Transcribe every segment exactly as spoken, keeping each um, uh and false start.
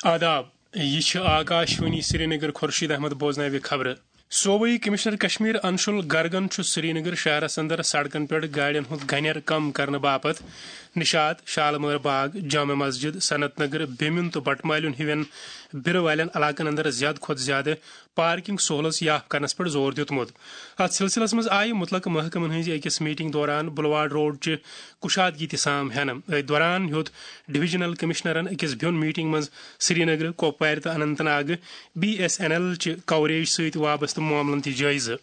آداب، یہِ چھِ آکاشوانی سرینگر۔ خورشید احمد بوزناوِ خبرٕ۔ صوبٲئی کمشنر کشمیر انشول گرگن چھُ سرینگر شہرس اندر سڑکن پٮ۪ٹھ گاڑٮ۪ن ہُنٛد گنٮ۪ر کم کرنہٕ باپتھ نشاط، شالمٲر باغ، جامع مسجد، صنعت نگر، بیمِن تہٕ بٹمالیُن ہِوٮ۪ن بیرٕ والٮ۪ن علاقن اندر زیادٕ کھۄتہٕ زیادٕ پارکنگ سہولژ یاف کرنس پٮ۪ٹھ زور دیُتمُت۔ اتھ سلسلس منٛز آیہِ متعلقہٕ محکمن ہٕنٛزِ أکِس میٹنگ دوران بلواڑ روڈ چہِ کشادگی تہِ سام ہینہٕ۔ أتھۍ دوران ہیوٚت ڈویژنل کمشنرن أکِس بیوٚن میٹنگ منٛز سرینگر، کۄپوارِ تہٕ اننت ناگہٕ بی ایس این ایل چہِ کوریج سۭتۍ وابستہٕ معاملن تہِ جٲیزٕ۔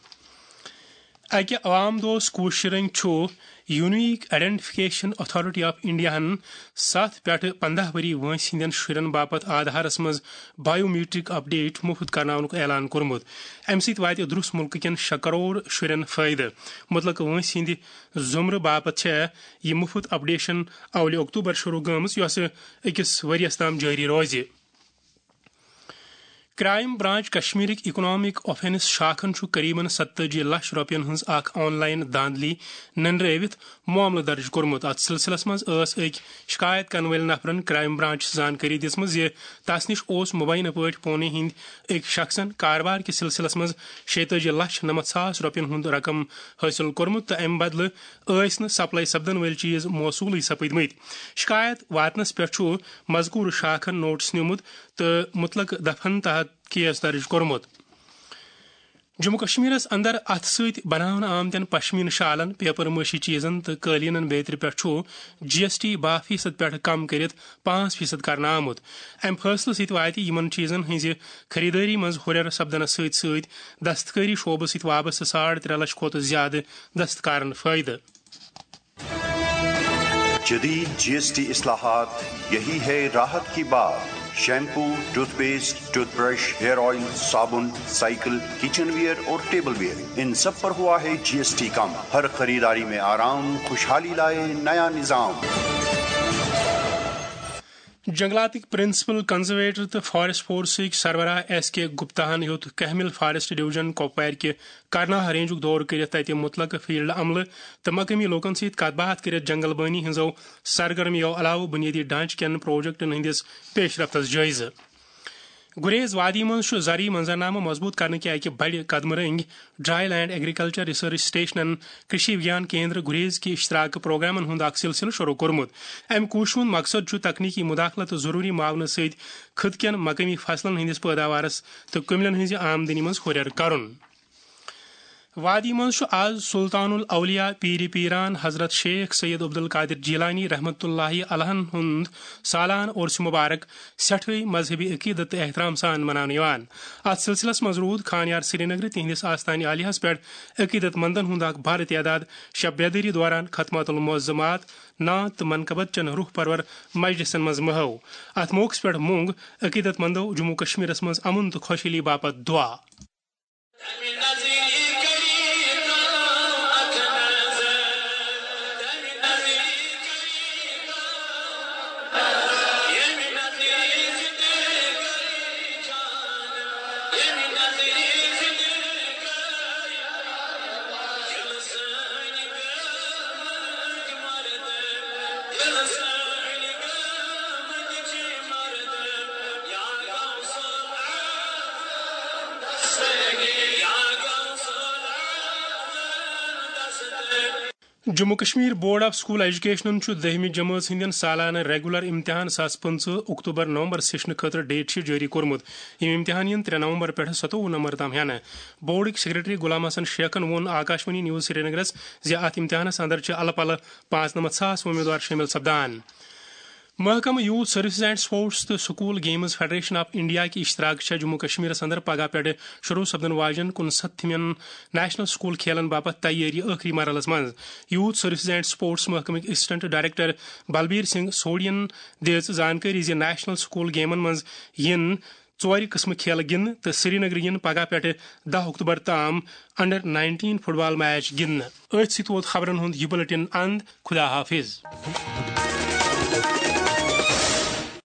اکہِ عوام دوست کوٗشِش رٔنگۍ چھُ یونیک آئیڈینٹیفکیشن اتھارٹی آف انڈیاہن ستھ پٮ۪ٹھٕ پنٛداہ ؤری وٲنٛسہِ ہٕنٛدٮ۪ن شُرٮ۪ن باپتھ آدھارس منٛز بایو میٹرک اپڈیٹ مُفت کرناونُک اعلان کوٚرمُت۔ اَمہِ سۭتۍ واتہِ درُس مُلکہٕ کٮ۪ن شےٚ کرور شُرٮ۪ن فٲیدٕ۔ مُتلقہٕ وٲنٛسہِ ہٕنٛدِ زُمرٕ باپتھ چھےٚ یہِ مُفت اپڈیشن اولہِ اکتوبر شروع گٔمٕژ، یۄسہٕ أکِس ؤرۍ یَس تام جٲری روزِ۔ کرائم برانچ کشمیرٕکۍ اکنامک آفینس شاخن چھُ قریباً ستٲجی لچھ رۄپین ہٕنٛز اکھ آن لائن دھاندلی ننرٲوِتھ معاملہٕ درج کوٚرمُت۔ اتھ سلسلس منٛز ٲس أکۍ شکایت کرن وٲلۍ نفرن کرائم برانچس زانکٲری دِژمٕژ زِ تس نِش اوس مبینہ پٲٹھۍ پونے ہٕنٛدۍ أکۍ شخصن کاربار کِس سلسلس منٛز شیٚتٲجی لچھ نَمَتھ ساس رۄپین ہُنٛد رقم حٲصِل کوٚرمُت تہٕ امہِ بدلہٕ ٲسۍ نہٕ سپلائی سپدن وٲلۍ چیز موصوٗلٕے سپٕدمٕتۍ۔ شکایت واتنس پٮ۪ٹھ چھُ مذکورٕ شاخن نوٹس نیومُت تہٕ مُتلقہٕ دفعن تحت کیس درج کوٚرمُت۔ جموں کشمیرس اندر اتھٕ سۭتۍ بناونہٕ آمتٮ۪ن پشمینہٕ شالن، پیپر مٲشی چیزن تہٕ قٲلیٖنن بیترِ پٮ۪ٹھ چھُ جی ایس ٹی باہ فیصد پٮ۪ٹھ کم کٔرِتھ پانٛژھ فیصد کرنہٕ آمُت۔ امہِ فٲصلہٕ سۭتۍ واتہِ یِمن چیزن ہٕنٛزِ خریدٲری منٛز ہُرٮ۪ر سپدنس سۭتۍ سۭتۍ دستکٲری شعبہٕ سۭتۍ وابستہٕ ساڑ ترٛےٚ لچھ کھۄتہٕ زیادٕ دستکارن فٲیدٕ۔ جدید جی ایس ٹی اصلاحات، یہی ہے راحت کی بات۔ Shampoo, toothpaste, toothbrush, hair oil, صابن، سائیکل، کچن ویئر اور ٹیبل ویئر، ان سب پر ہوا ہے جی ایس ٹی کم۔ ہر خریداری میں آرام، خوشحالی لائے نیا نظام۔ جنگلاتٕکۍ پرنسپل کنزرویٹر تہٕ فارسٹ فورسٕکۍ سربراہ ایس کے گپتاہن ہیوٚت کہمل فارسٹ ڈویژن کۄپوارِ کہِ کرناہ رینجُک دورٕ کٔرِتھ تتہِ مُتلقہٕ فیلڈ عملہٕ تہٕ مقٲمی لوٗکن سۭتۍ کتھ باتھ کٔرِتھ جنگل بٲنی ہٕنٛزو سرگرمیو علاوٕ بُنیٲدی ڈھانچہٕ کٮ۪ن پروجیکٹن ہٕنٛدِس پیش رفتس جٲیزٕ۔ گریز وادی منٛز چھُ زرعی منظرنامہٕ مضبوٗط کرنہٕ کہِ اکہِ بڑِ قدمہٕ رٔنگۍ ڈرائی لینڈ ایگریکلچر ریسرچ سٹیشنن، کرشی وگیان کیندر گریز کہِ اشتراک پروگرامن ہُنٛد اکھ سلسلہٕ شروع کوٚرمُت۔ امہِ کوٗششہِ ہُنٛد مقصد چھُ تکنیکی مداخلت تہٕ ضروٗری معاونہٕ سۭتۍ خطہٕ کٮ۪ن مقٲمی فصلن ہٕنٛدِس پٲداوارس تہٕ کٔملٮ۪ن ہٕنٛزِ آمدنی منٛز ہُرٮ۪ر کرُن۔ وادی منٛز چھُ آز سلطان الاولیاء پیٖرِ پیٖران حضرت شیخ سید عبدالقادر جیلانی رحمتہ اللہ علیہن ہُنٛد سالانہٕ عرس مبارک سٮ۪ٹھٕے مذہبی عقیدت تہٕ احترام سان مناونہٕ یِوان۔ اتھ سلسلس منٛز روٗد خانیار سرینگرٕ تِہنٛدِس آستانہِ عالیہس پٮ۪ٹھ عقیدت مندن ہُنٛد اکھ بھرٕ تعداد شب بیدٲری دوران ختمات المعظمات، نعت تہٕ منقبت چٮ۪ن روح پرور مجلسن منٛز محو۔ اتھ موقعس پٮ۪ٹھ مونگ عقیدت مندو جموں کشمیرس منٛز امن تہٕ خۄشحٲلی باپتھ دعا۔ Jammu Kashmir board of school ایجوکیشنن چھُ دٔہمہِ جمٲژ ہٕنٛدٮ۪ن سالانہٕ ریگولر امتحان زٕ ساس پٕنٛژٕہ اکتوبر نومبر سیشنہٕ خٲطرٕ ڈیٹ شیٹ جٲری کوٚرمُت۔ یِم امتحان یِن ترٛےٚ نومبر پٮ۪ٹھٕ ستووُہ نومبر تام ہٮ۪نہٕ۔ بورڈٕکۍ سیکرٹری غلام حسن شیخن ووٚن آکاشوانی نیوز سرینگرس زِ اتھ امتحانس اندر چھِ الہٕ پلہٕ پانٛژنمتھ ساس وۄمیدوار شٲمِل سپدان۔ محکمہٕ یوتھ سروسز اینڈ سپورٹس تہٕ school games federation of India کہِ اشتراک چھےٚ جموں کشمیرس اندر پگاہ پٮ۪ٹھٕ شروع سپدن واجٮ۪ن کُنسَتتھمٮ۪ن نیشنل سکول کھیلن باپتھ تیٲری ٲخری مرحلس منٛز۔ یوتھ سروسز اینڈ سپورٹس محکمٕکۍ اسسٹنٹ ڈائریکٹر بلبیر سنگھ سوڈین دِژ زانکٲری زِ نیشنل سکول گیمن منٛز یِن ژورِ قٕسمہٕ کھیلہٕ گِنٛدنہٕ تہٕ سرینگرٕ یِن پگاہ پٮ۪ٹھٕ دَہ اکتوبر تام انڈر نائنٹین فٹ بال میچ گِنٛدنہٕ۔ أتھۍ سۭتۍ ووت خبرن ہُنٛد یہِ بلیٹن اند۔ خدا حافظ۔